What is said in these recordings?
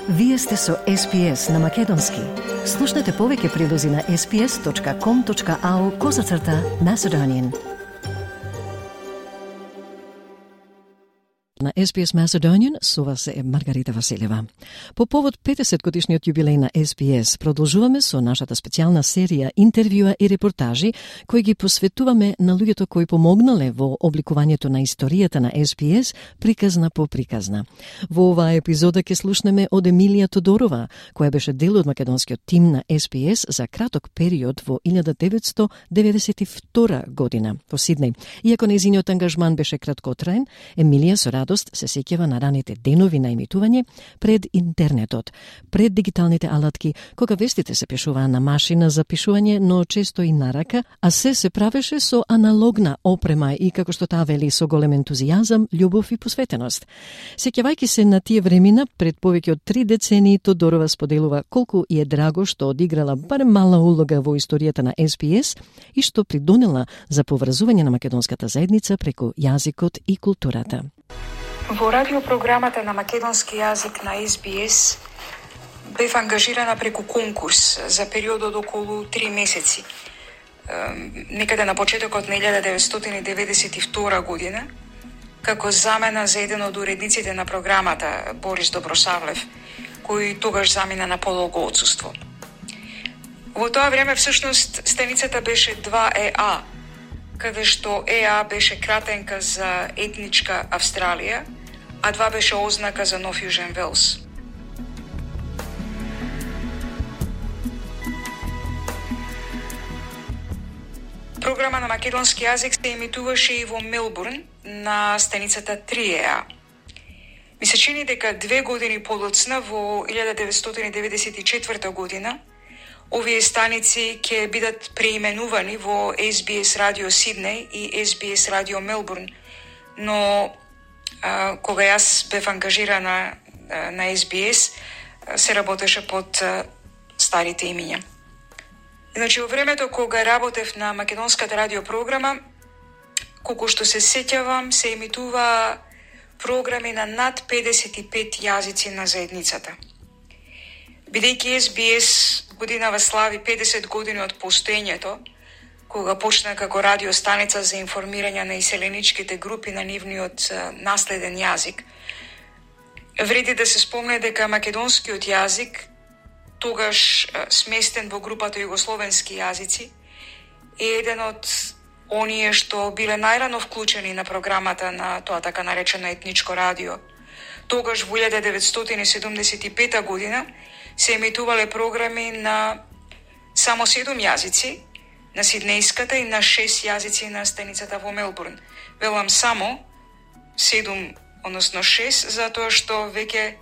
Вие сте со SPS на Македонски. Слушнете повеќе прилози на sps.com.au/Macedonian. На SBS Macedonian со вас е Маргарита Василева. По повод 50 годишниот јубилеј на SBS, продолжуваме со нашата специјална серија интервјуа и репортажи кои ги посветуваме на луѓето кои помогнале во обликувањето на историјата на SBS приказна по приказна. Во оваа епизода ќе слушнеме од Емилија Тодорова, која беше дел од македонскиот тим на SBS за краток период во 1992 година во Сиднеј. Иако нејзиниот ангажман беше краткотраен, Емилија со радост се сеќава на раните денови на емитување пред интернетот, пред дигиталните алатки, кога вестите се пишуваа на машина за пишување, но често и на рака, а се правеше со аналогна опрема и, како што таа вели, со голем ентузијазам, љубов и посветеност. Сеќавајќи се на тие времена, пред повеќе од 3 децении, Тодорова споделува колку и е драго што одиграла барем мала улога во историјата на SBS и што придонела за поврзување на македонската заедница преку јазикот и културата. Во радиопрограмата на македонски јазик на SBS бев ангажирана преку конкурс за период од околу 3 месеци. Некаде на почетокот на 1992 година, како замена за еден од уредниците на програмата, Борис Добросавлев, кој тогаш замина на подолго отсуство. Во тоа време, всушност, станицата беше 2EA, каде што ЕА беше кратенка за етничка Австралија, а 2 беше ознака за Нов Јужен Велс. Програма на македонски јазик се емитуваше и во Мелбурн на станицата 3EA. Ми се чини дека 2 години подоцна, во 1994 година, овие станици ќе бидат преименувани во SBS Radio Сиднеј и SBS Radio Мелбурн, но кога јас бев ангажирана на SBS, се работеше под старите имиња. Значи, во времето кога работев на македонската радиопрограма, колку што се сеќавам, се емитува програми на над 55 јазици на заедницата. Бидејќи SBS годинава слави 50 години од постоењето, кога почна како радиостаница за информирање на иселеничките групи на нивниот наследен јазик, вреди да се спомне дека македонскиот јазик, тогаш сместен во групата југословенски јазици, е еден од оние што биле најрано вклучени на програмата на тоа така наречено етничко радио. Тогаш во 1975 година се емитувале програми на само 7 јазици, на сиднејската и на 6 јазици на станицата во Мелбурн. Велам само 7, односно 6, затоа што веќе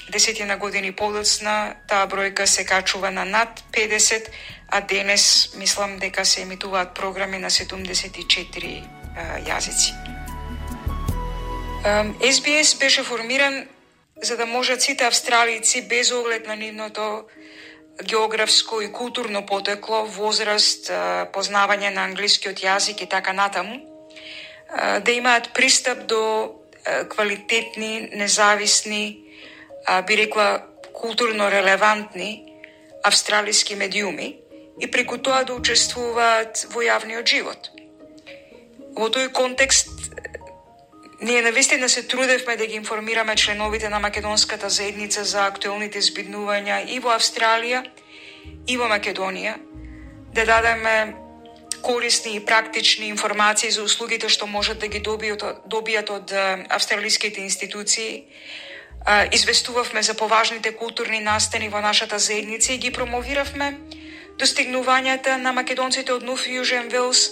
10 години подоцна таа бројка се качува на над 50, а денес мислам дека се емитуваат програми на 74 јазици. SBS беше формиран за да можат сите австралици, без оглед на нивното географско и културно потекло, возраст, познавање на англискиот јазик и така натаму, да имаат пристап до квалитетни, независни, би рекла културно релевантни австралиски медиуми и преку тоа да учествуваат во јавниот живот. Во тој контекст, ние навистина се трудевме да ги информираме членовите на македонската заедница за актуелните збиднувања и во Австралија, и во Македонија, да дадеме корисни и практични информации за услугите што можат да ги добијат од австралиските институции. Известувавме за поважните културни настани во нашата заедница и ги промовиравме достигнувањата на македонците од Нов Јужен Велс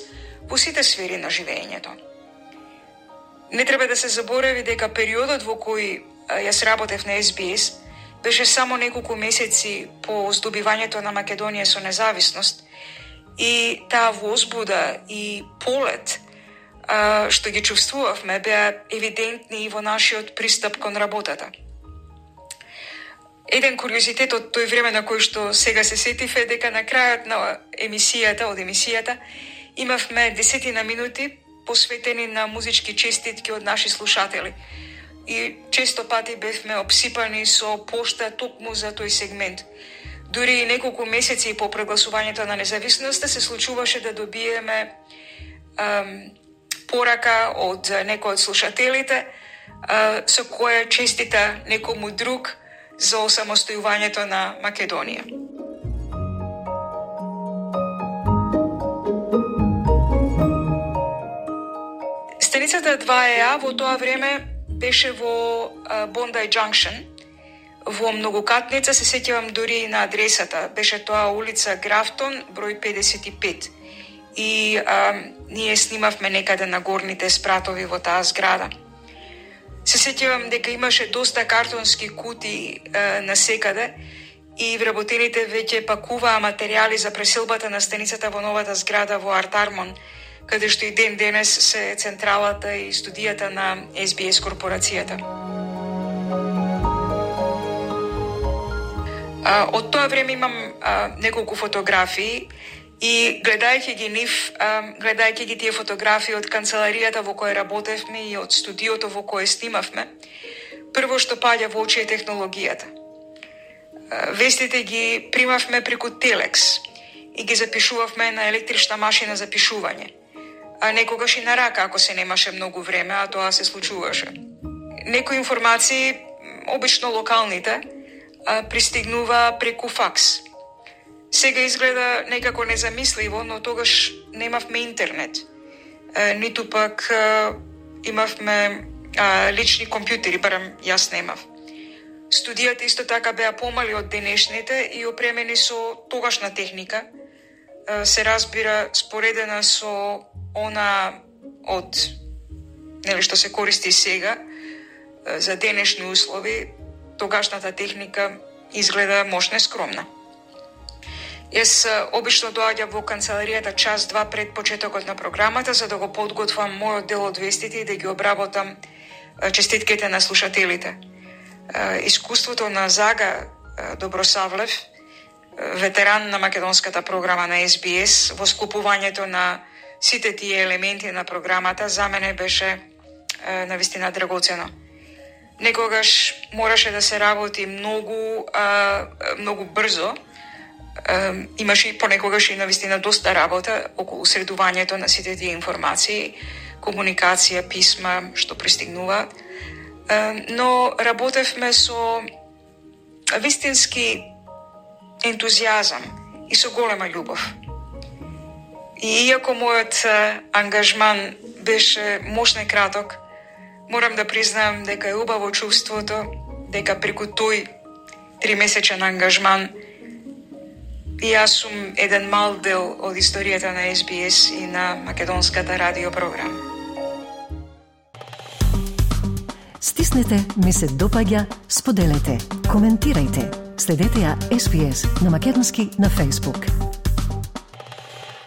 во сите сфери на живењето. Не треба да се заборави дека периодот во кој јас работев на SBS беше само неколку месеци по здобивањето на Македонија со независност и таа возбуда и полет што ги чувствувавме беа евидентни и во нашиот пристап кон работата. Еден куриозитет од тој време на кој што сега се сетив е дека на крајот на емисијата имавме 10 минути посветени на музички честитки од наши слушатели. и често пати бевме обсипани со пошта токму за тој сегмент. Дури и неколку месеци по прегласувањето на независноста се случуваше да добиеме порака од некој од слушателите со која честита некому друг за осамостојувањето на Македонија. Станицата 2EA во тоа време беше во Bondi Junction, во многокатница, се сеќавам дури на адресата. Беше тоа улица Графтон, број 55. И ние снимавме некаде на горните спратови во таа зграда. Се сеќавам дека имаше доста картонски кутии насекаде и вработените веќе пакуваа материјали за преселбата на станицата во новата зграда во Артармон, каде што и ден денес се централата и студијата на SBS корпорацијата. Од тоа време имам неколку фотографии и гледајќи ги тие фотографии од канцеларијата во која работевме и од студиото во кое снимавме, прво што паѓа во очи е технологијата. Вестите ги примавме преку телекс и ги запишувавме на електрична машина за пишување. А некогаш и на рака, ако се немаше многу време, а тоа се случуваше. Некои информации, обично локалните, пристигнува преку факс. Сега изгледа некако незамисливо, но тогаш немавме интернет. Ниту пак имавме лични компјутери, барам јас немав. Студијата исто така беа помали од денешните и опремени со тогашна техника. Се разбира споредена со она од што се користи сега за денешни услови. Тогашната техника изгледа мощна и скромна. Јас обично доаѓам во канцеларијата час-два пред почетокот на програмата за да го подготвам мојот дел од вестите и да ги обработам честитките на слушателите. Искуството на Зага Добросавлев, ветеран на македонската програма на SBS, во склопувањето на сите тие елементи на програмата, за мене беше навистина драгоцено. Некогаш мораше да се работи многу брзо. Имаше и понекогаш и навистина доста работа околу средувањето на сите тие информации, комуникација, писма што пристигнуваат. Но работевме со вистински ентузијазам и со голема љубов. И иако мојот ангажман беше мощно и краток, морам да признаам дека е убаво чувството дека преку тој 3-месечен ангажман и јас сум еден мал дел од историјата на SBS и на македонската радиопрограма. Стиснете, ми се допаѓа, споделете, коментирајте. Следете ја SBS на македонски на Facebook.